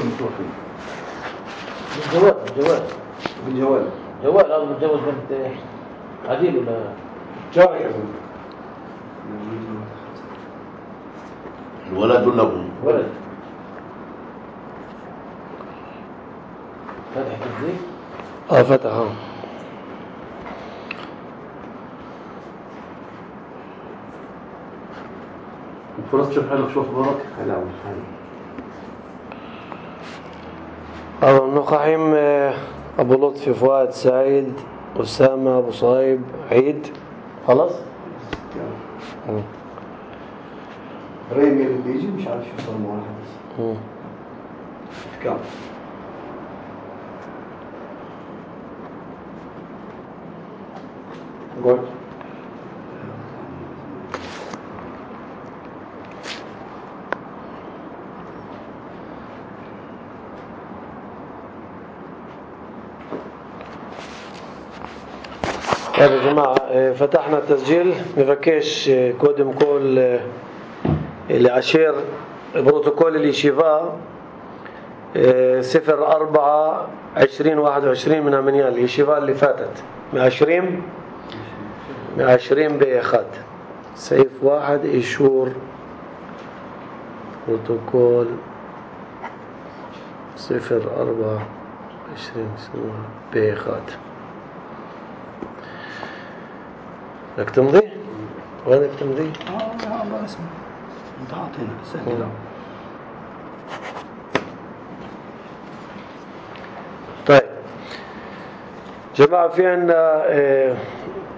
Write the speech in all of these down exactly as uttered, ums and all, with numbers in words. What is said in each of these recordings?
متوفي. جوال جوال بالجوال. جوال هذا متجوز بنت عديل ولا جاري أظن. الولد ولا أبوه؟ ولد. فتح كذي؟ اه فتح اه فرص تشوف حالك شو أخبارك؟ هلا وسهلا. أبو النقعيم أبو لطفي فؤاد سعيد أسامة أبو صهيب عيد خلاص؟ ريمي اللي بيجي مش عارف شو صار معه الحدث. كم؟ قول. طيب يا جماعة فتحنا التسجيل نفكش كودم كول العشير بروتوكول اليشيفا صفر أربعة عشرين واحد وعشرين من أمنيان اليشيفا اللي فاتت من عشرين من عشرين بإخاد سيف واحد إيشور بروتوكول صفر أربعة عشرين بإخاد. بدك تمضي؟ وينك تمضي؟ اه لا الله اسمه انت عاطينا سهل. طيب جماعة في عنا اه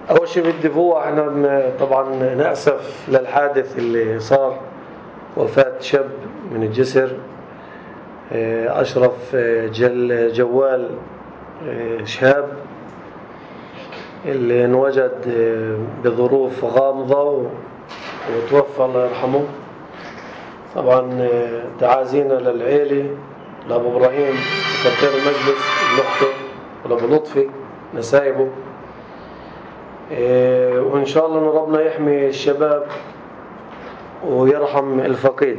أول شيء بدي فوق احنا طبعا نأسف للحادث اللي صار وفاة شاب من الجسر اه أشرف جل جوال اه شهاب اللي انوجد بظروف غامضة وتوفى الله يرحمه. طبعا تعازينا للعيلة لأبو إبراهيم سكرتير المجلس لأخته ولأبو لطفي نسايبه، وإن شاء الله إن ربنا يحمي الشباب ويرحم الفقيد.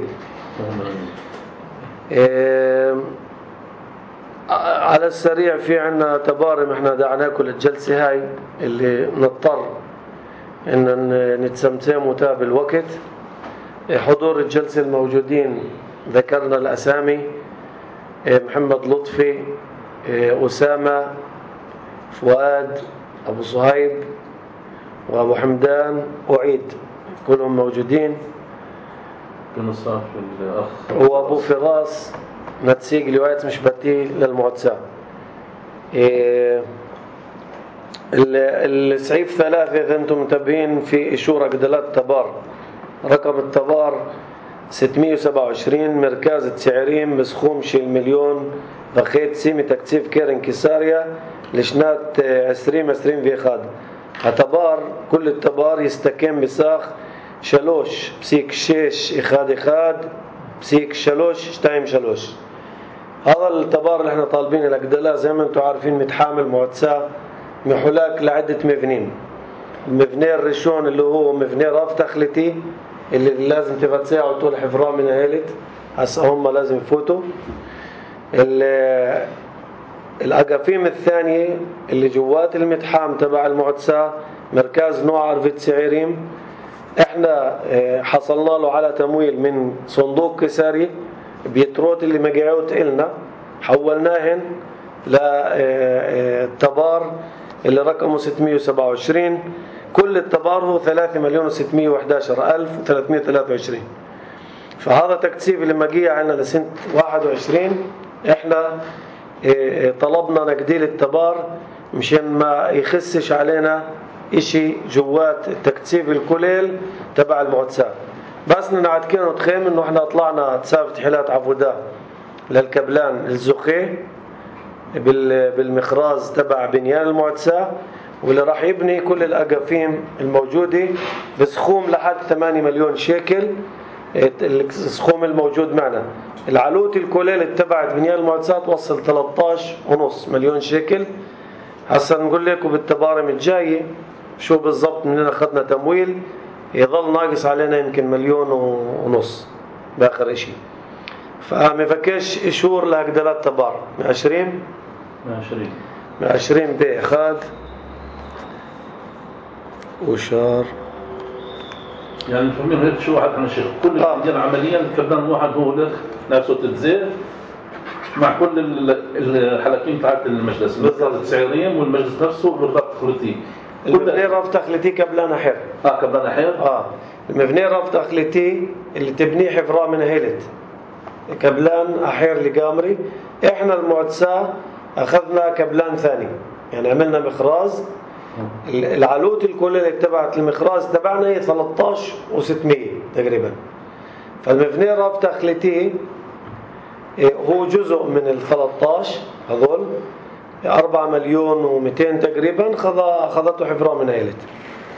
على السريع في عنا تبارم احنا دعناكم للجلسة هاي اللي نضطر ان نتسمتم وتاب الوقت. حضور الجلسة الموجودين ذكرنا الأسامي: محمد لطفي، أسامة، فؤاد، أبو صهيب، وأبو حمدان وعيد، كلهم موجودين. كنصاف الأخ وأبو فراس نتسيق لواية مش بتي للمعتسى. إيه السعيف ثلاثة إذا أنتم منتبهين في إشورة قدلات تبار، رقم التبار ستمية وسبعة وعشرين مركز تسعيرين بسخوم شيل مليون بخيت سيمي تكتيف كيرن كيساريا لشنات عسرين عسرين في خاد. التبار كل التبار يستكين بساخ شلوش بسيك شيش إخاد إخاد بسيك شلوش شتايم شلوش. هذا التبار اللي احنا طالبين الأقدلاء زي ما انتم عارفين متحامل معتسى محلاك لعدة مبنين. المبنى الرشون اللي هو مبنى راف تخلتي اللي لازم تفتساعوا طول حفران من هيلت هسا هم لازم يفوتوا. الأقافيم الثانية اللي جوات المتحام تبع المعتسى مركز نوع عرفة سعيريم، احنا حصلنا له على تمويل من صندوق كساري بيتروت اللي مقعوت إلنا حولناهن للتبار اللي رقمه ستمية وسبعة وعشرين. كل التبار هو ثلاثة مليون وستمية وإحدى عشر ألف وثلاثمية وثلاثة وعشرين. فهذا تكثيف اللي مقيع عنا لسنة واحد وعشرين. احنا طلبنا نقديل التبار مشان ما يخسش علينا اشي جوات التكثيف الكليل تبع المعتسى. بس نعد كانوا تخيم انه احنا طلعنا تسافة حلات عفودا للكبلان الزخي بالمخراز تبع بنيان المعتسى، واللي راح يبني كل الأقافيم الموجودة بسخوم لحد ثمانية مليون شيكل. السخوم الموجود معنا العلوت الكليل تبعت بنيان المعتسى توصل ثلاثة عشر ونص مليون شيكل. هسا نقول لكم بالتبارم الجاية شو بالضبط مننا أخذنا تمويل، يظل ناقص علينا يمكن مليون ونص بآخر إشي. فمفكش إشور لهجدلات تبار عشرين عشرين عشرين بإخاد وشار يعني فهمين هيك شو واحد عن الشيخ كل آه. اللي عمليا كبدان واحد هو لك نفسه تتزير مع كل الحلقين تاعت المجلس بالضبط التسعيرين والمجلس نفسه بالربط تخليطي المبني ربط تخليطي كبلان أحير اه كبلان أحير اه المبني ربط تخليطي اللي تبنيه حفراء من هيلت كبلان أحير لقامري. احنا المعتسى أخذنا كبلان ثاني يعني عملنا مخراز العلوت الكلية اللي تبعت المخراز تبعنا هي ثلاثة عشر وستمية تقريبا. فالمبني ربط تخليطي هو جزء من ال ثلاثة عشر هذول أربعة مليون ومئتين تقريبا خذته حفراء من هيلت.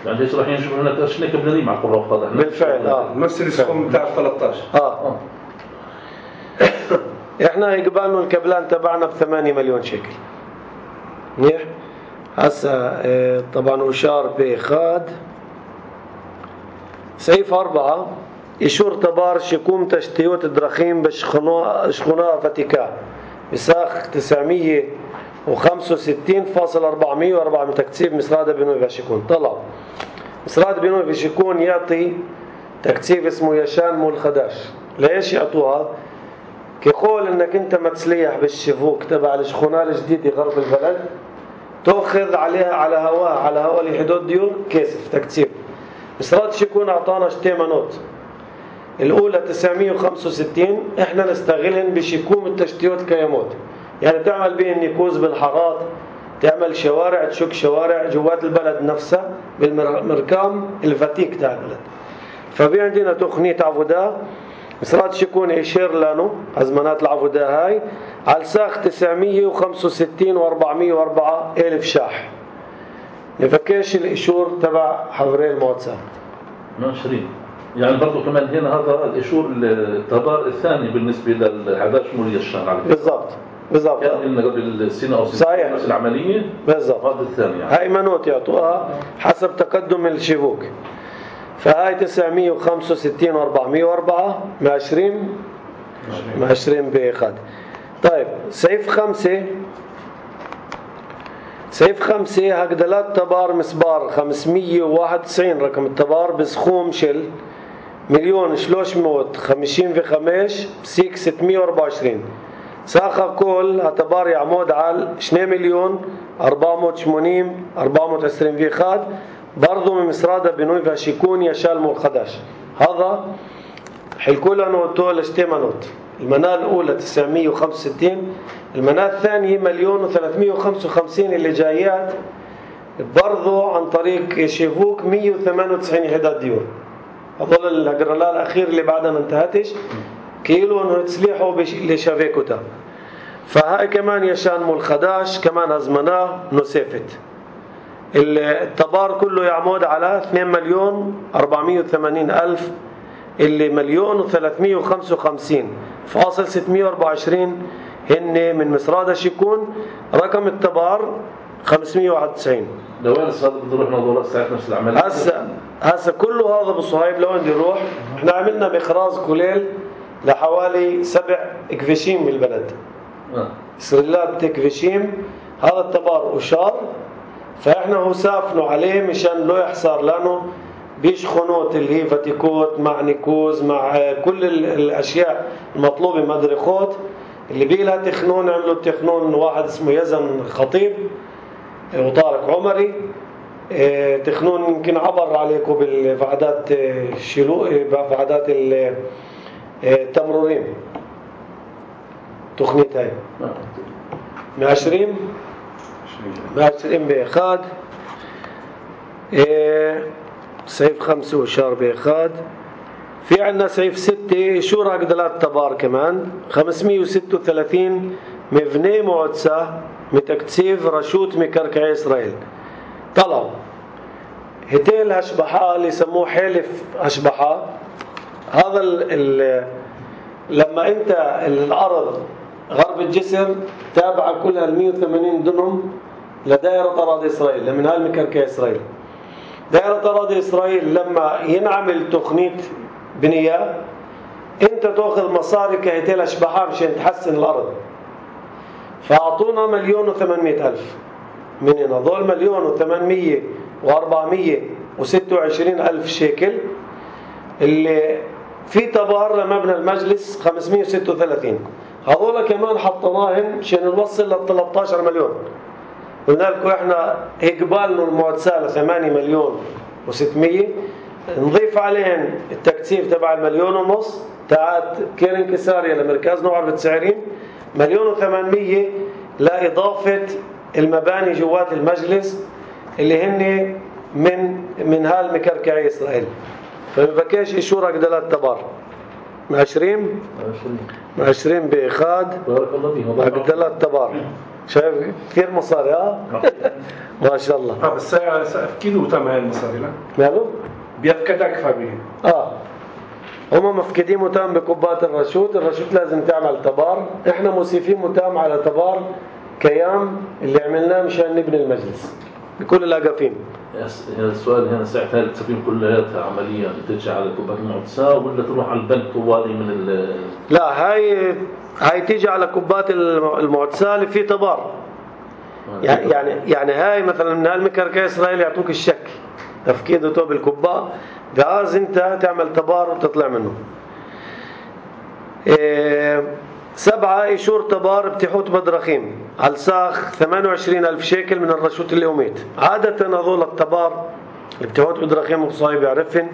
يعني ليش راح ينشوف هنا تشني كبلانين مع قرى وخاضع بالفعل اه نفس السكوم بتاع ثلاثة عشر. اه احنا يقبلنا الكبلان تبعنا بثمانية مليون شكل. منيح. هسه اه طبعا وشار بخاد سيف أربعة إشور تبار شكوم تشتيوت الدرخيم بشخناء فتيكا بساخ تسعمية وخمسة وستين فاصلة أربعمية وأربعة من تكتيب مسراد بنوي فاشكون. طلع مسراد بنوي فاشكون يعطي تكتيب اسمه يشان مول خداش. ليش يعطوها؟ كيقول انك انت متسليح بالشفوك تبع الشخونة الجديدة غرب البلد تأخذ عليها على هواها على هوا لحدود ديور كيسف تكتيب. مسراد شكون اعطانا شتيمانوت الاولى تسعمية وخمسة وستين احنا نستغلهن بشكوم التشتيوت كيموت يعني تعمل بهن نيكوز بالحارات تعمل شوارع تشك شوارع جوات البلد نفسها بالمركام الفتيك تاع البلد. فبي عندنا تقنية عبودة مسرات شكون يشير لانو أزمانات العبودة هاي على ساخ تسعمية وخمسة وستين وأربعمية وأربعة ألف شاح. نفكيش الإشور تبع حفرين الموتسا عشرين يعني برضو كمان هنا هذا الإشور التبار الثاني بالنسبة للحداش مولي الشان على بالضبط بالضبط كان قلنا قبل السنة أو صحيح سنة العملية بالضبط هذا الثاني يعني. هاي منوت يعطوها حسب تقدم الشبوك. فهاي تسعمية وخمسة وستين وأربعمية وأربعة مع عشرين مع عشرين بإخاد. طيب سيف خمسة سيف خمسة هقدلات تبار مسبار خمسمية وواحد وتسعين رقم التبار بسخوم شل مليون شلوش موت خمسين في خمش بسيك ستمية وأربعة وعشرين ساخة كل هتبار يعمود على اثنين مليون أربعمية وثمانين أربعمية وعشرين في خاد برضو من مسرادة بنوي فاشيكون يشال مول خداش. هذا حلكولا نوتو لشتيمانوت. المناة الأولى تسعمية وخمسة وستين المناة الثانية مليون وثلاثمية وخمسة وخمسين اللي جايات برضو عن طريق شيفوك مية وثمانية وتسعين حداد ديور. هذول الأجرالات الأخير اللي بعدها ما انتهتش كيلو انه تسليحوا لشافيكوتا. فهاي كمان يشان مول خداش كمان هزمناه نسيفت. التبار كله يعمود على اثنين مليون أربعمية وثمانين ألف اللي مليون وثلاثمية وخمسة وخمسين فاصل ستمية وأربعة وعشرين هن من مسرادة شيكون. رقم التبار خمسمية وواحد وتسعين. لوين هذا بده يروح نظورات ساعة نفس العملية؟ هسه هسه كله هذا بالصهيب لوين بده يروح؟ احنا عملنا مخراز كليل لحوالي سبع اكفشيم بالبلد. آه. سرلات تكفشيم هذا التبار أشار فإحنا هو سافنوا عليه مشان لو يحصر لانه بيشخنوت اللي هي فتيكوت مع نيكوز مع كل الأشياء المطلوبة مدرخوت اللي بيلها تخنون عملوا تخنون واحد اسمه يزن خطيب وطارق عمري تخنون يمكن عبر عليكم بالفعادات الشلو بفعادات التمرورين تخنيت هاي من عشرين من عشرين بإخاد سيف خمسة وشار بإخاد. في عندنا سيف ستة شورا قدلات تبار كمان خمسمية وستة وثلاثين مبني معدسة متكتسيف رشوت مكركعي إسرائيل. طلعوا هتيل هشبحة اللي يسموه حلف هشبحة. هذا ال ال لما انت الأرض غرب الجسر تابعة كلها المية وثمانين دنم لدائرة أراضي إسرائيل لمن هالمكركعي إسرائيل. دائرة أراضي إسرائيل لما ينعمل تقنية بنية انت تاخذ مصاري كهيتيل اشباحها مشان تحسن الارض، فاعطونا مليون وثمانمائة الف. من هنا ضل مليون وثمانمية واربعمية وستة وعشرين الف شيكل اللي في تبار لمبنى المجلس خمسمية وستة وثلاثين. هذول كمان حطيناهم مشان نوصل لل ثلاثة عشر مليون. قلنا لكم احنا اقبالنا المعتساه ثمانية مليون وستمية، نضيف عليهم التكثيف تبع المليون ونص تاعت كيرن كساريا لمركز نوع التسعيرين، مليون وثمانمية لإضافة المباني جوات المجلس اللي هن من من هالمكركعي إسرائيل. فبكاش إشورك دلات تبار عشرين عشرين بإخاد بارك الله فيهم. أقدلات تبار. شايف كثير مصاري ها؟ ما شاء الله. اه بس أكيد وتم هاي المصاري لا؟ ماله؟ بيفقد أكثر بيه. اه هم مفقدين متام بكبات الرشود. الرشود لازم تعمل تبار، احنا موسيفين متام على تبار كيام اللي عملناه مشان نبني المجلس بكل الاقافين. السؤال هنا ساعة هل التسليم كلها عمليا ترجع على كبات المعتساه ولا تروح على البنك طوالي من ال لا هاي هاي تيجي على كبات المعتساه اللي في تبار. يعني يعني يعني هاي مثلا من هالمكركع اسرائيل يعطوك الشكل تفكيده توب الكباء، جاز انت تعمل تبار وتطلع منه. إيه سبعة إيشور تبار بتحوت بدرخيم على ساخ ثمانية وعشرين ألف شيكل من الرشوت اليوميت. عادة هذول التبار اللي بتحوت بدرخيم وصايب يعرفن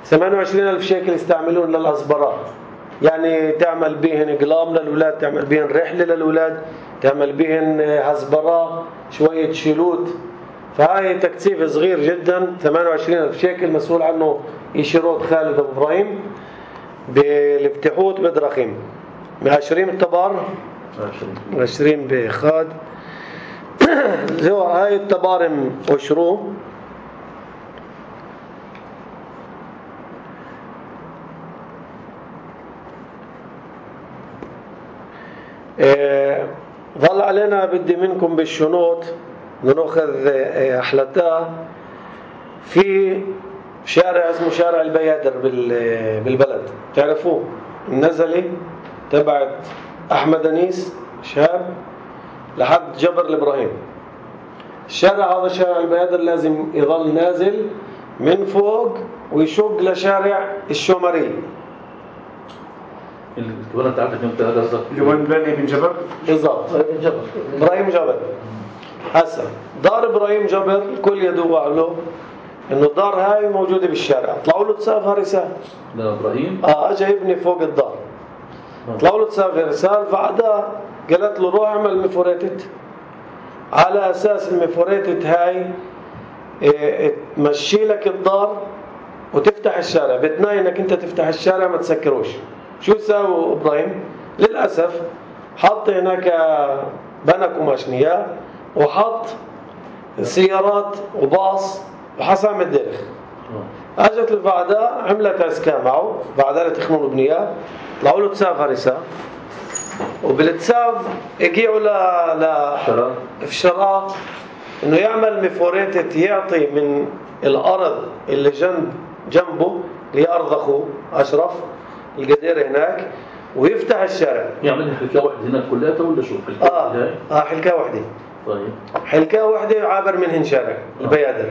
ثمانية وعشرين ألف شيكل يستعملون للأصبرات، يعني تعمل بيهن قلام للأولاد، تعمل بيهن رحلة للأولاد، تعمل بيهن هزبرة شوية شيلوت. فهاي تكثيف صغير جدا ثمانية وعشرين ألف شيكل مسؤول عنه يشيروت خالد أبو إبراهيم بالفتحوت بدرخيم. عشرين التبار عشرين بخاد زو هاي التبارم وشرو اه ظل علينا بدي منكم بالشنوط نأخذ أحلتها في شارع اسمه شارع البيادر بالبلد، تعرفوه النزلي تبعت أحمد أنيس شاب لحد جبر الإبراهيم. الشارع هذا شارع البيادر لازم يظل نازل من فوق ويشق لشارع الشومري. الكبيرة بتاعتك انت قصدك اللي وين بني بن جبر؟ بالضبط إبراهيم جبر. هسه دار إبراهيم جبر الكل يدوع له إنه الدار هاي موجودة بالشارع، طلعوا له تسافها رسالة. لا إبراهيم؟ آه أجا يبني فوق الدار. طلعوا له تسافها رسالة بعدها قالت له روح اعمل مفوريتت على أساس المفوريتت هاي اه تمشي لك الدار وتفتح الشارع، بتناي إنك أنت تفتح الشارع ما تسكروش. شو ساووا إبراهيم؟ للأسف حط هناك بنك وماشنية وحط سيارات وباص وحسام الدرخ. اجت الفعداء عملت اسكا معه، بعدها تخمون بنياه، طلعوا له تساف هرسه، وبالتساف اجيوا ل ل في شراء انه يعمل مفوريتة يعطي من الارض اللي جنب جنبه اللي هي ارض اخوه اشرف القدير هناك ويفتح الشارع. يعمل حلكه واحده هناك كلها ولا شو؟ اه اه حلكه واحده. طيب حلكه واحده عابر منهن شارع البيادر.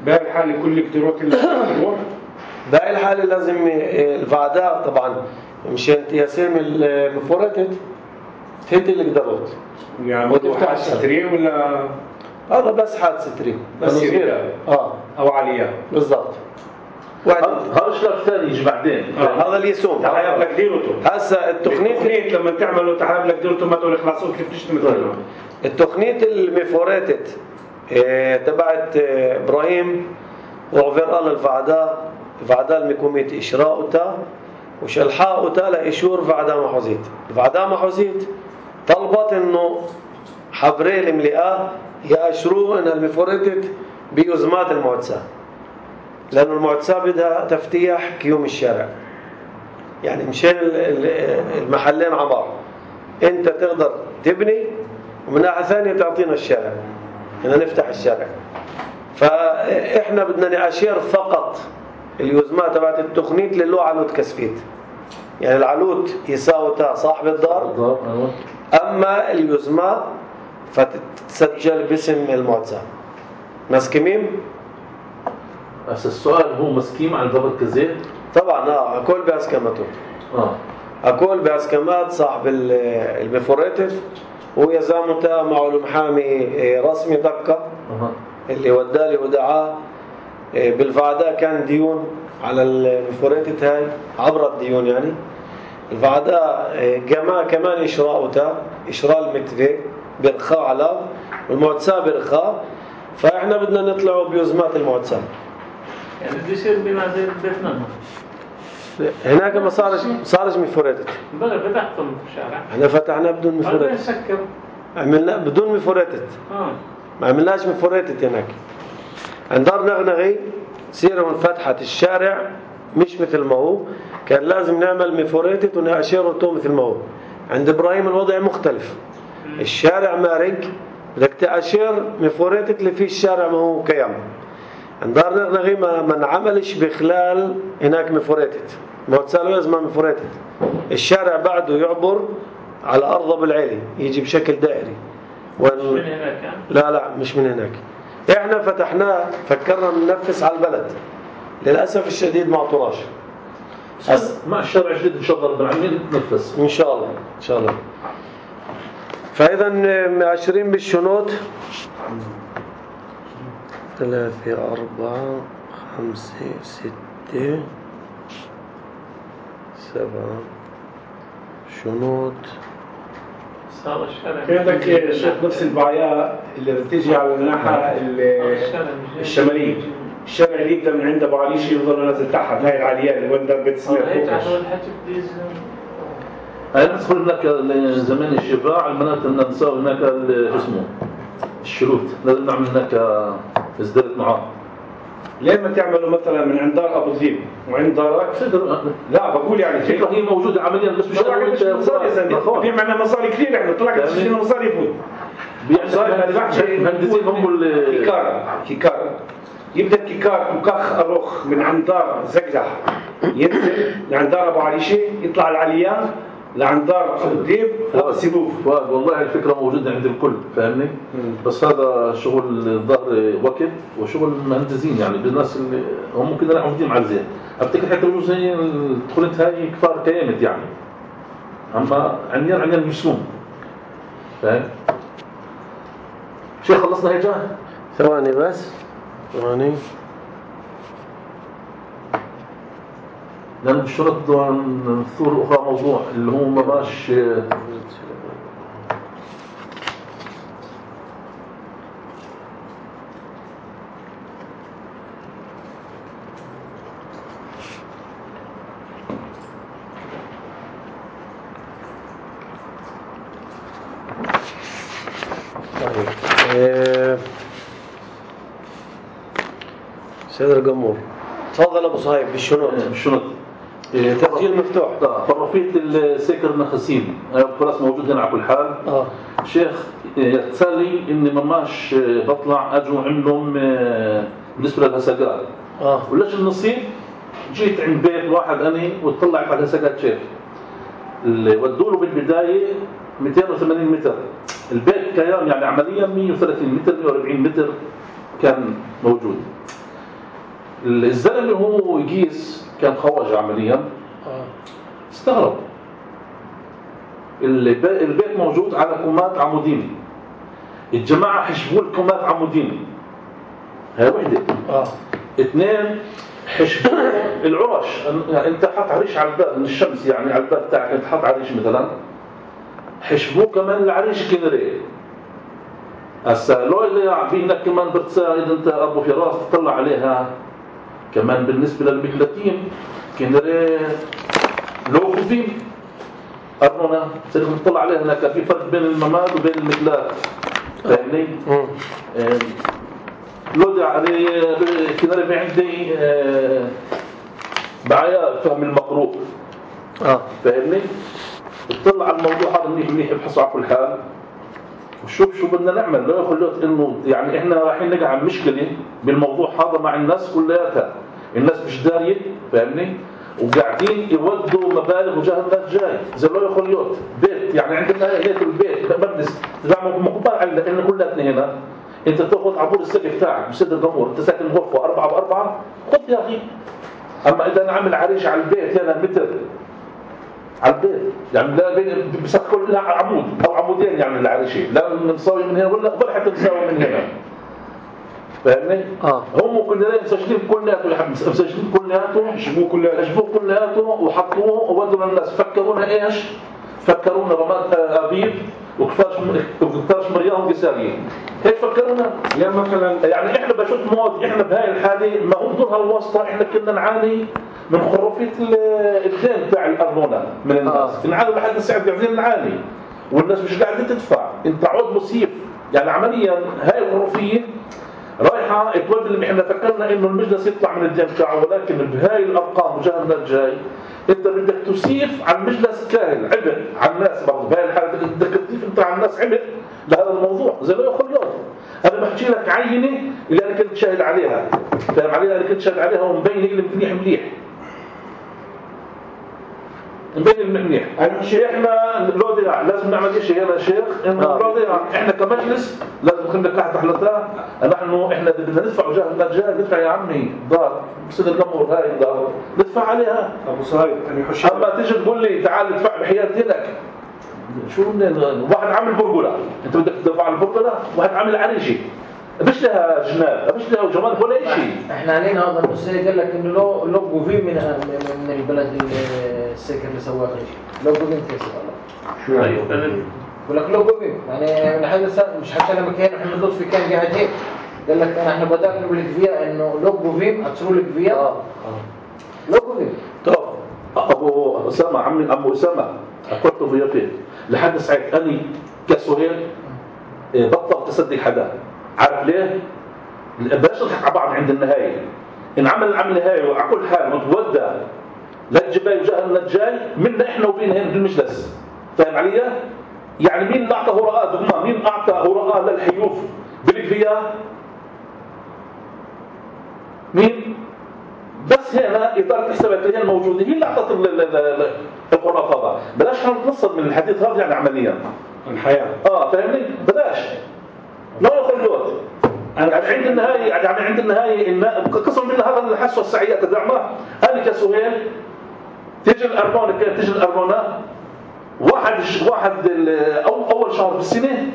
باقي الحالة كل كتيروت اللي باقي الحالة لازم الفعداء طبعا مشان تياسيم المفورتت هيت اللي قدرت يعني وتفتح سترين ولا هذا بس حاد سترين بس صغيرة اه او عالية بالضبط. واحد هذا الشرط الثاني يجي بعدين. آه. هذا اللي يسوم تحاب لك ديرته. هسه التقنية لما تعملوا تحاب لك ديرته ما تقول خلاص كيف تشتمل التقنية المفورتت اه تبعت اه ابراهيم وعفر الله الفعداء الفعداء المكومية إشراء وشلحاء لإشور فعداء محوزيت. الفعداء محوزيت طلبت إنه حبري الملئة يأشروا إن المفورتت بيزمات المعتسى، لأنه المعتسى بدها تفتيح كيوم الشارع، يعني مشان المحلين عبار أنت تقدر تبني ومن ناحية ثانية تعطينا الشارع إن نفتح الشارع. فإحنا بدنا نأشير فقط اليوزمات تبعت التقنية للو على كسفيت يعني العلوت يساوي صاحب الدار، الدار أيوة. أما اليزمة فتتسجل باسم المعتزة. مسكمين؟ بس السؤال هو مسكيم على الضبط كزيت؟ طبعا اه أكل بأسكمته. اه أكل بأسكمات صاحب المفوريتف، ويا زامتا معه المحامي رسمي دقة أه. اللي ودالي ودعاه بالفعداء. كان ديون على المفوريتت هاي عبر الديون، يعني الفعداء جماعة كمان إشراء وتا إشراء المتفق برخاء على والمعتسى برخاء. فإحنا بدنا نطلعوا بيزمات المعتسى. يعني بده يصير بما زي بيتنا هناك ما صارش صارش مفوريتت. بلا فتحتم في الشارع. احنا فتحنا بدون مفوريتت. نسكر. عملنا بدون مفوريتت. اه. ما عملناش مفوريتت هناك. عند دار نغنغي سيروا فتحت الشارع مش مثل ما هو، كان لازم نعمل مفوريتت ونأشيره مثل ما هو. عند إبراهيم الوضع مختلف. الشارع مارق، بدك تأشير مفوريتت اللي فيه الشارع ما هو كيام. عند دار نغنغي ما ما نعملش بخلال هناك مفوريتت، ما تسألوا يزمع مفوريتت. الشارع بعده يعبر على أرض أبو العيلي، يجي بشكل دائري. مش من هناك؟ لا لا مش من هناك. احنا فتحناه فكرنا ننفس على البلد، للأسف الشديد ما عطولاش. أس... مع الشارع الجديد إن شاء الله رب العالمين نتنفس إن شاء الله إن شاء الله. فإذا عشرين بالشنود، ثلاثة أربعة خمسة ستة سبعة شنود. صار الشارع. في عندك الشيخ نفس البعياء اللي بتيجي على الناحية الشمالية. الشارع اللي يبدأ من عند أبو عليش يفضل نازل تحت، هاي العاليات اللي وين دار بيت سمير فوقش. هاي ندخل هناك زمان الشفاع المناطق اللي نسوي هناك اسمه الشروط، لازم نعمل هناك ازدادت معاه. ليه ما تعملوا مثلا من عند دار ابو ذيب وعند دارك؟ لا بقول يعني الفكره هي موجوده عمليا بس مش مصاري مصاري يا زلمه، في معنا مصاري كثير، احنا طلع قد ايش مصاري يفوت. مصاري ما دفعش مهندسين هم كيكار كيكار يبدا كيكار مكخ اروخ من عند دار زقزح ينزل لعند دار ابو عليشه، يطلع العليان لعند دار ابو ذيب فوق سيبوف. والله الفكره موجوده عند الكل فاهمني. بس هذا شغل الظهر وقت وشغل المهندسين، يعني بالناس اللي هم ممكن يروحوا فيهم على زين. افتكر حتى بجوز هي دخلت هاي كفار كيامت يعني، اما عنيان عنيان مسموم فاهم. شيخ خلصنا هي جاه ثواني بس ثواني. لأن بالشرط نثور أخرى موضوع اللي هو مراش طيب إيه... سيد القمور تفضل ابو صهيب بالشنط. بالشنط تسجيل مفتوح. اه فرفيت السكر النخسيل خلاص موجود هنا على كل حال. اه شيخ يتسالي اني مماش بطلع اجوا عندهم بالنسبه للهسقات اه وليش النصيب جيت عند بيت واحد اني وطلعت على الهسقات شيخ اللي ودوا له بالبدايه مئتين وثمانين متر البيت كيان يعني عمليا مئة وثلاثين متر مئة وأربعين متر كان موجود. الزلمه هو يقيس كان خواجه عمليا استغرب البيت موجود على كومات عمودين، الجماعه حشبوا الكومات عمودين هاي وحده اه اثنين حشبوا العرش، يعني انت حط عريش على الباب من الشمس يعني على الباب تاعك انت حط عريش مثلا حشبوه كمان العريش كنري. هسا لو اللي في هناك كمان بتساعد انت ابو فراس تطلع عليها كمان بالنسبه للمكلتين كنري لو فين أرنونا سيكون نطلع عليها هناك في فرق بين المماد وبين المكلات فاهمني؟ اه لودي عليه كنري ما عندي اه بعيا فهم المقروء اه فاهمني؟ اطلع على الموضوع هذا منيح منيح ابحثوا على كل حال وشوف شو بدنا نعمل. لا يخلوت انه يعني احنا رايحين نقع مشكله بالموضوع هذا مع الناس كلياتها، الناس مش داريه فاهمني. وقاعدين يودوا مبالغ وجاه الناس جاي زي لو خليوت بيت يعني عندنا هيك البيت مبنس مقبل على لأن كلنا هنا انت تاخذ عبور السقف تاعك بسد الجمهور انت ساكن غرفه أربعة بأربعة خذ يا اخي. اما اذا انا عامل عريش على البيت هنا متر على البيت يعني لا بين بس كل عمود او عمودين يعني العريشه لا نساوي من هنا ولا ولا حتى نساوي من هنا فاهمني؟ اه هم كلنا مسجلين كلياته يا حبيبي مسجلين كلياته حجبوه كلياته حجبوه كلياته وحطوه وودوا للناس فكرونا ايش؟ فكرونا رماد ابيب وكفاش وكفاش مريم قساريه هيك فكرونا يا مثلا يعني احنا بشوف موت احنا بهاي الحاله ما هو دور هالواسطه احنا كنا نعاني من خرافيه الدين تاع الارضونه من الناس نعاني لحد الساعه قاعدين نعاني والناس مش قاعده تدفع انت عود مصيف يعني عمليا هاي الخرافيه رايحه تودي اللي احنا فكرنا انه المجلس يطلع من الدين تاعه ولكن بهاي الارقام وجهنا الجاي انت بدك تسيف على المجلس كاهل عبء على الناس برضه بهاي الحاله بدك تضيف انت على الناس عبء لهذا الموضوع زي ما يقول اليوم انا بحكي لك عينه اللي انا كنت شاهد عليها فاهم عليها اللي كنت شاهد عليها ومبينه اللي منيح مليح مبين المنيح احنا لو ضياع لازم نعمل شيء هنا يا شيخ انه لو ضياع احنا كمجلس لازم نخلي تحت حلتها نحن احنا بدنا ندفع وجاه النجاه ندفع يا عمي دار بصير الجمهور هاي الدار ندفع عليها ابو صهيب انا حشي اما تيجي تقول لي تعال ادفع بحياه دينك شو واحد عامل برجوله انت بدك تدفع على البرجوله واحد عامل عريشه مش لها جناب مش لها جمال ولا شيء احنا علينا هذا المسير قال لك انه لو لو بوفي من من البلد السكر اللي سواه شيء لو بوفي كيف شو يعني بقول لك لو بوفي يعني من حدث مش حتى لما كان احنا ندوس في كان قاعد هيك قال لك انا احنا بدأنا نقول لك فيها انه لو بوفي هتصيروا لك فيها اه لو بوفي طب ابو اسامه عمي ابو اسامه اكلته فيها فين لحد ساعه اني كسهيل بطل تصدق حدا عارف ليه؟ بلاش نضحك على بعض عند النهايه ان عمل العمل النهايه وعلى كل حال متودى للجبال وجاه النجاي منا احنا وبين هنا في المجلس فاهم علي؟ يعني مين اللي اعطى هراء دغما مين اعطى هراء للحيوف بالكفيه؟ مين؟ بس هنا اداره الحسابات اللي هي الموجوده هي اللي اعطت القرار هذا بلاش نتنصل من الحديث هذا يعني عمليا الحياه اه فاهمني؟ بلاش لا يخلوت يعني عند النهاية يعني عند النهاية قسم من هذا الحسوة السعية تدعمه أنا كسهيل تيجي الأربونة كيف تيجي الأربونة واحد واحد أو أول شهر بالسنة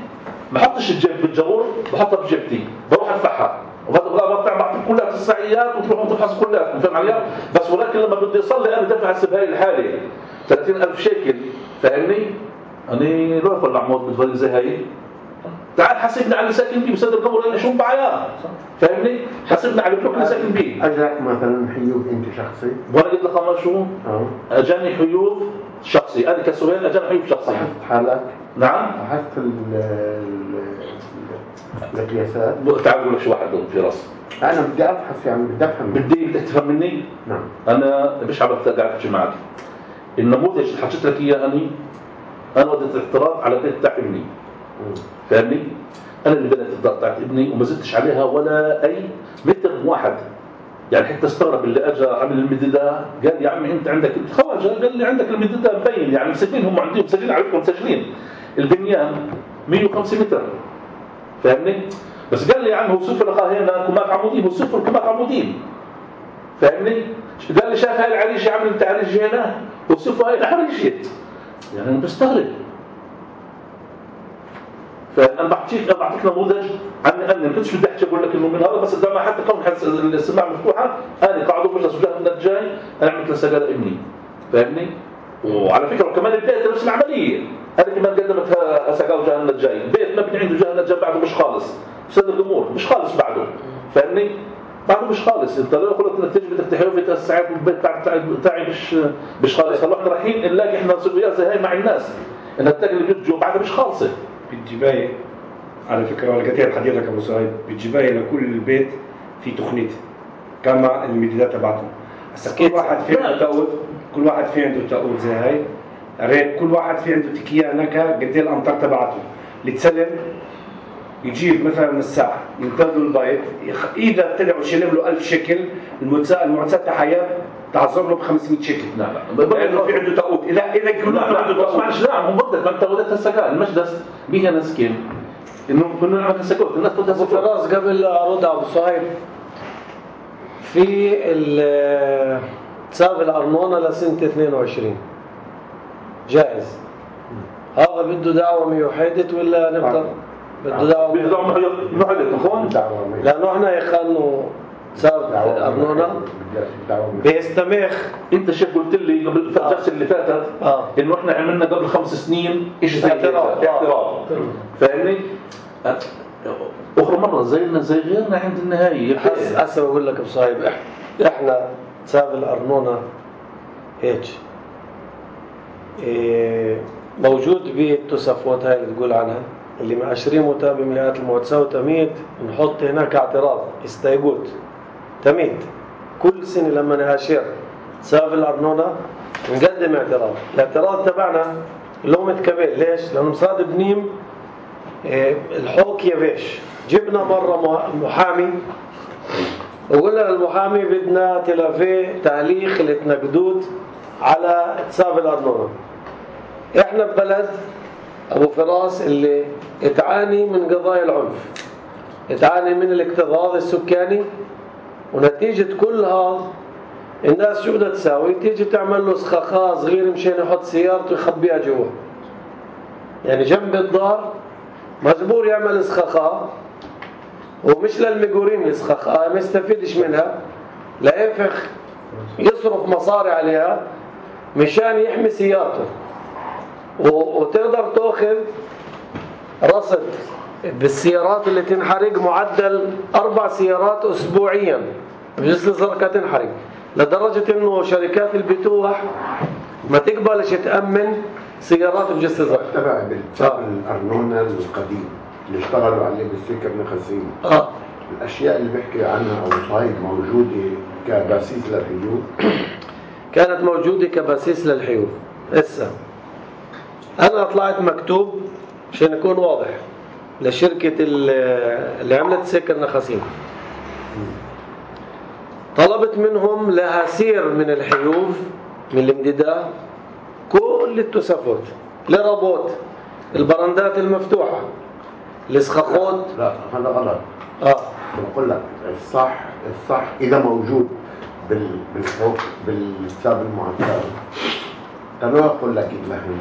ما حطش الجيب بالجبور بحطها بجيبتي بروح أدفعها وهذا بطلع بعطيك كلها السعيات وتروحوا تفحصوا كلها فاهم علي؟ بس ولكن لما بدي أصلي أنا دفع هسه بهاي الحالة ثلاثين ألف شيكل فاهمني؟ أنا لا أقول عمود بالفريق زي هاي تعال حاسبنا على اللي ساكن بيه بصدر القبر اللي شو بعياه فاهمني حاسبنا على البلوك اللي ساكن بيه اجاك مثلا حيوف انت شخصي وانا قلت لك ما شو اه اجاني حيوف شخصي انا كسهيل اجاني حيوف شخصي لاحظت حالك نعم لاحظت القياسات تعال اقول لك شو واحد في راسي انا بدي ابحث يعني بدي افهم بدي بدك تفهم مني نعم انا مش عم قاعد احكي معك النموذج اللي حكيت لك اياه اني انا وديت الاعتراض على بيت تاع ابني فاهمني انا اللي بنيت الدار تاعت ابني وما زدتش عليها ولا اي متر واحد يعني حتى استغرب اللي اجى عمل المدده قال يا عمي انت عندك خواجه قال لي عندك المدده مبين يعني مسجلين هم عندهم مسجلين عليكم مسجلين البنيان مية وخمسة متر فاهمني بس قال لي يا عم هو صفر اخاه هنا كمات عمودين هو صفر كمات عمودين فاهمني قال لي شاف هاي العريشه عمل انت عريشه هنا وصفر هاي العريشه يعني انا بستغرب فانا بعطيك انا بعطيك نموذج عني انا ما كنتش بدي احكي اقول لك انه من هذا بس ما حتى كون السماعه مفتوحه انا قاعد مجلس وجاه الجاي انا عملت لسجاله ابني فاهمني وعلى فكره وكمان البيت نفس العمليه انا كمان قدمت سجاله وجاه الجاي البيت مبني عنده وجاه الجاي بعده مش خالص بسد الامور مش خالص بعده فاهمني بعده مش خالص انت لو قلت انك تيجي بدك تحيو في تسعات البيت تاعي مش مش خالص هلا احنا رايحين نلاقي احنا سويات زي هاي مع الناس ان التاج اللي بيجوا بعدها مش خالصه بالجباية على فكرة وأنا قلت لك حديثك أبو سعيد بالجباية لكل بيت في تخنيت كما المديدات تبعتهم هسا كل واحد في عنده تقود كل واحد في عنده تقود زي هاي ريت كل واحد في عنده تكية نكا قد ايه الأمطار تبعته اللي تسلم يجيب مثلا من الساعة ينتظروا البيت إذا طلعوا شلم له ألف شكل المؤسسات تحيا تعذر له ب خمسمية شيكل. لا لا لانه في عنده تقوت اذا اذا لا يقولوا عنده لا تقوت. معلش لا هم بدك انت ولدت هسه قال المجلس بيها نسكن انه كنا نعمل سكوت الناس بدها ابو سكوت. فراس قبل ارد على ابو صهيب في ال- حساب الارنونه لسنه اثنين وعشرين جاهز. هذا بده دعوه ميوحدة ولا نقدر بده دعوه بده دعوه محدد مفهوم؟ دعوة مية. لانه احنا يا اخي انه حساب دعوة الارنونه مية. دعوة مية. بيستمخ. انت شيخ قلت لي قبل في الجلسه اللي فاتت اه انه احنا عملنا قبل خمس سنين شيء زي اعتراض. هيك اعتراض فاهمني؟ اخرى مره زينا زي غيرنا عند النهايه هس هسه بقول لك ابو صهيب إح- احنا حساب الارنونه هيك إيه موجود بالتوسفات هاي اللي تقول عنها اللي مأشرين بمئات الموتساة وتميت نحط هناك اعتراض استيقوت تميت كل سنة لما نهاشر حساب الأرنونة نقدم اعتراض. الاعتراض تبعنا اللي هو متكبل ليش؟ لأنه مصاد بنيم إيه الحوك يبيش. جبنا مرة محامي وقلنا للمحامي بدنا تلافيه تعليق اللي تنقدود على حساب الأرنونة. احنا ببلد ابو فراس اللي تعاني من قضايا العنف تعاني من الاكتظاظ السكاني ونتيجة كل هذا الناس شو بدها تساوي؟ تيجي تعمل له سخاخة صغير مشان يحط سيارته يخبيها جوا يعني جنب الدار مجبور يعمل سخاخة ومش للمجورين السخاخة ما يستفيدش منها لا ينفخ يصرف مصاري عليها مشان يحمي سيارته وتقدر تأخذ رصد بالسيارات اللي تنحرق معدل أربع سيارات أسبوعيا بجسر الزرقاء تنحرق لدرجة إنه شركات البتوح ما تقبلش تأمن سيارات بجسر الزرقاء. تبع بالحساب الأرنونة القديم اللي اشتغلوا عليه بالسكر نخسين. آه. الأشياء اللي بحكي عنها أبو صهيب موجودة كباسيس للحيوط. كانت موجودة كباسيس للحيوط. هسه أنا طلعت مكتوب عشان يكون واضح لشركة اللي عملت سكر نخسين طلبت منهم لهاسير من الحيوف من الامتداد كل التوسفات لربوت البرندات المفتوحة الاسخاخات. لا هذا غلط. اه بقول لك الصح الصح إذا موجود بال بالحوك بالحساب المعتاد قالوا أقول لك لهم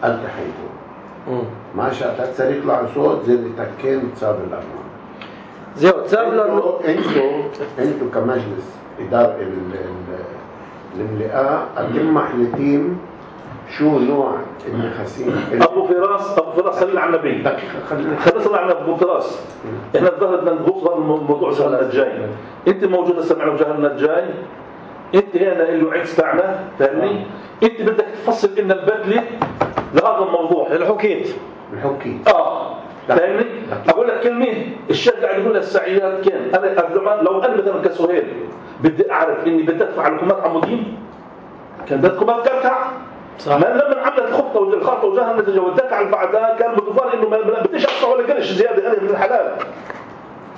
التحيكم ما شاءت تصير يطلع صوت زي اللي تكين حساب الأرنونة زي حساب الأرنونة. انتوا انتوا كمجلس إدارة الملئة أتم محلتين شو نوع النخاسين. ابو فراس ابو فراس صلي على النبي خلينا صلي على ابو فراس. احنا الظاهر بدنا نغوص بموضوع جهلنا الجاي. انت موجوده سمعنا جهلنا الجاي انت هنا اللي وعيت تاعنا فاهمني. انت بدك تفصل لنا البدله لهذا الموضوع الحكيت الحكيت اه فاهمني. اقول لك كلمه الشيخ قاعد يقول السعيات كان انا لو انا مثلا كسهيل بدي اعرف اني بدي ادفع لكمات عمودين كان بدكم ما تكركع صح. ما لما عملت الخطه والخطه وجاها النتيجه والدفع بعدها كان متفار انه ما بديش اقطع ولا قرش زياده انا من الحلال.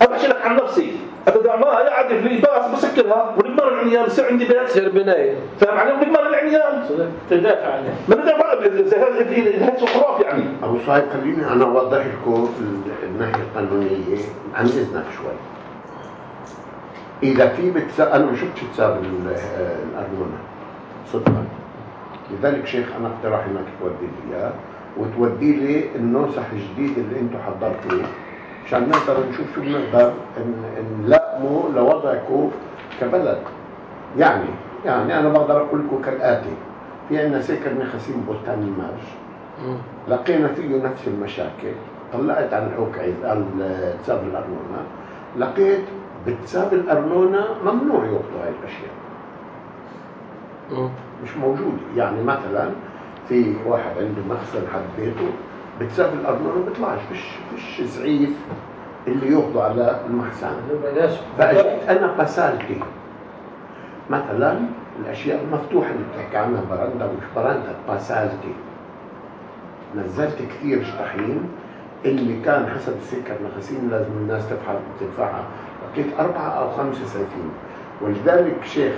انا بحكي لك عن نفسي اتدعمها قاعد في الباس بسكرها ونقدر العنيان بصير عندي بيت تصير بنايه فاهم عليهم نقدر العنيان تدافع عنها ما بدافع زي هذا هذا خرافي يعني. ابو صهيب خليني انا اوضح لكم الناحيه القانونيه عن اذنك شوي. اذا في بتسا... انا ما شفتش حساب الارنونه صدقا لذلك شيخ انا اقترح انك تودي لي اياه وتودي لي النسخ الجديد اللي انتم حضرتوه عشان نقدر نشوف شو بنقدر نلائمه لوضعكم كبلد. يعني يعني انا بقدر اقول لكم كالاتي. في عندنا سكر نخسين بستان المرج لقينا فيه نفس المشاكل. طلعت عن الحوك عن حساب الارنونه لقيت بحساب الارنونه ممنوع ياخذوا هاي الاشياء مش موجود. يعني مثلا في واحد عنده مخزن حد بيته بحساب الارنونه ما بيطلعش فيش فيش زعيف اللي ياخذوا على المخزن. فاجيت انا قسالتي مثلا الاشياء المفتوحه اللي بتحكي عنها برندا ومش برندا قسالتي نزلت كثير شطحين اللي كان حسب السكر نخسين لازم الناس تدفع تدفعها لقيت أربعة أو خمسة سنتين. ولذلك شيخ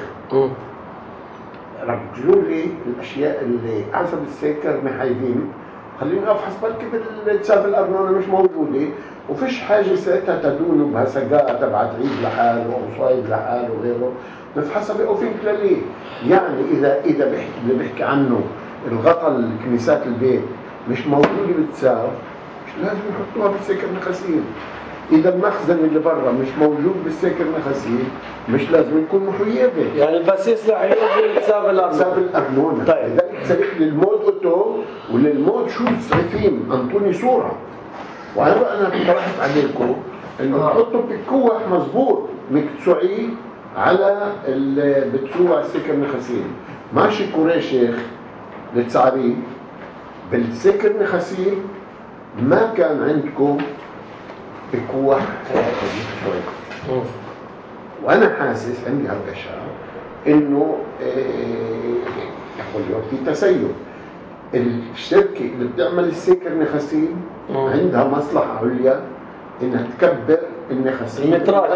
رجلوا لي الاشياء اللي حسب السيكر محايدين، خليني افحص بركي بالحساب الارنونه مش موجوده، وفيش حاجه ساعتها تدون بهسقات تبعت عيد لحاله او صايد لحاله وغيره، بفحصها باوفنك لليه. يعني اذا اذا بحكي اللي بيحكي عنه الغطاء الكنيسات البيت مش موجوده بالتساف، مش لازم يحطوها بالسكر نخاسين. اذا المخزن اللي برا مش موجود بالسكر نخاسين، مش لازم يكون محيبه. يعني البسيس رح يقول حساب الارنونه. حساب الارنونه. طيب لذلك سالت للمود اوتو وللمود شو سعيفين انطوني صوره. وهلا انا اقترحت عليكم انه تحطوا بكوح مضبوط مكتسوعيه على اللي بتسوع السكر نخاسين. ماشي كوري شيخ للتسعرين بالسكر نخاسين ما كان عندكم بكوح شوي. وانا حاسس عندي هالاشياء انه يقول في تسيب. الشركه اللي بتعمل السكر نخاسين عندها مصلحه عليا انها تكبر النخاسين المترات،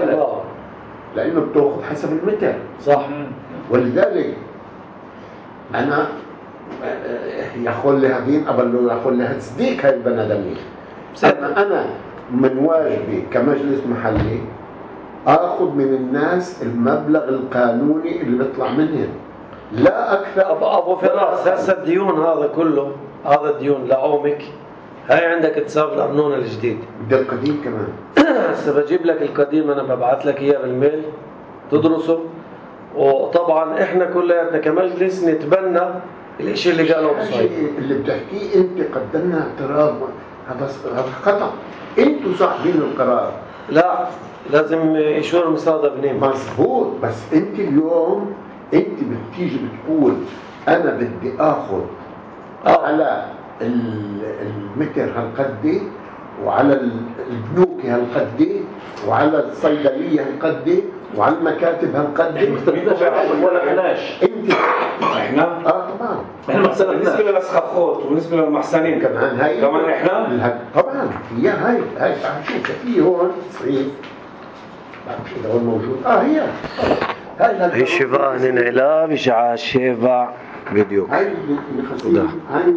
لانه بتاخذ حسب المتر. صح. ولذلك انا يقول لي هذين قبل يقول لها تصديق هاي البنادمين. اما انا من واجبي كمجلس محلي اخذ من الناس المبلغ القانوني اللي بيطلع منهم، لا اكثر. ابو ابو فراس، هسه الديون هذا كله، هذا الديون لعومك، هاي عندك حساب الارنونه الجديد. بدي القديم كمان. هسه بجيب لك القديم، انا ببعث لك اياه بالميل تدرسه. وطبعا احنا كلياتنا كمجلس نتبنى الاشي اللي قاله ابو صايد. اللي بتحكيه انت قدمنا اعتراض، هذا هذا خطا. انتوا صاحبين القرار. لا، لازم يشور مصادر بنيم. مظبوط، بس انت اليوم انت بتيجي بتقول انا بدي اخذ آه. على المتر هالقدي، وعلى البنوك هالقدي، وعلى الصيدليه هالقدي، وعلى المكاتب هالقدي. ولا احناش انت احنا اه طبعا احنا بالنسبه للاسخاخوت وبالنسبه للمحسنين كمان هاي كمان احنا طبعا هي هاي هاي شوف في هون صحيح بعرفش اذا هون موجود. اه هي هاي شفاء ننعلا بشعاع شفاء فيديو. هاي اللي خسير هاي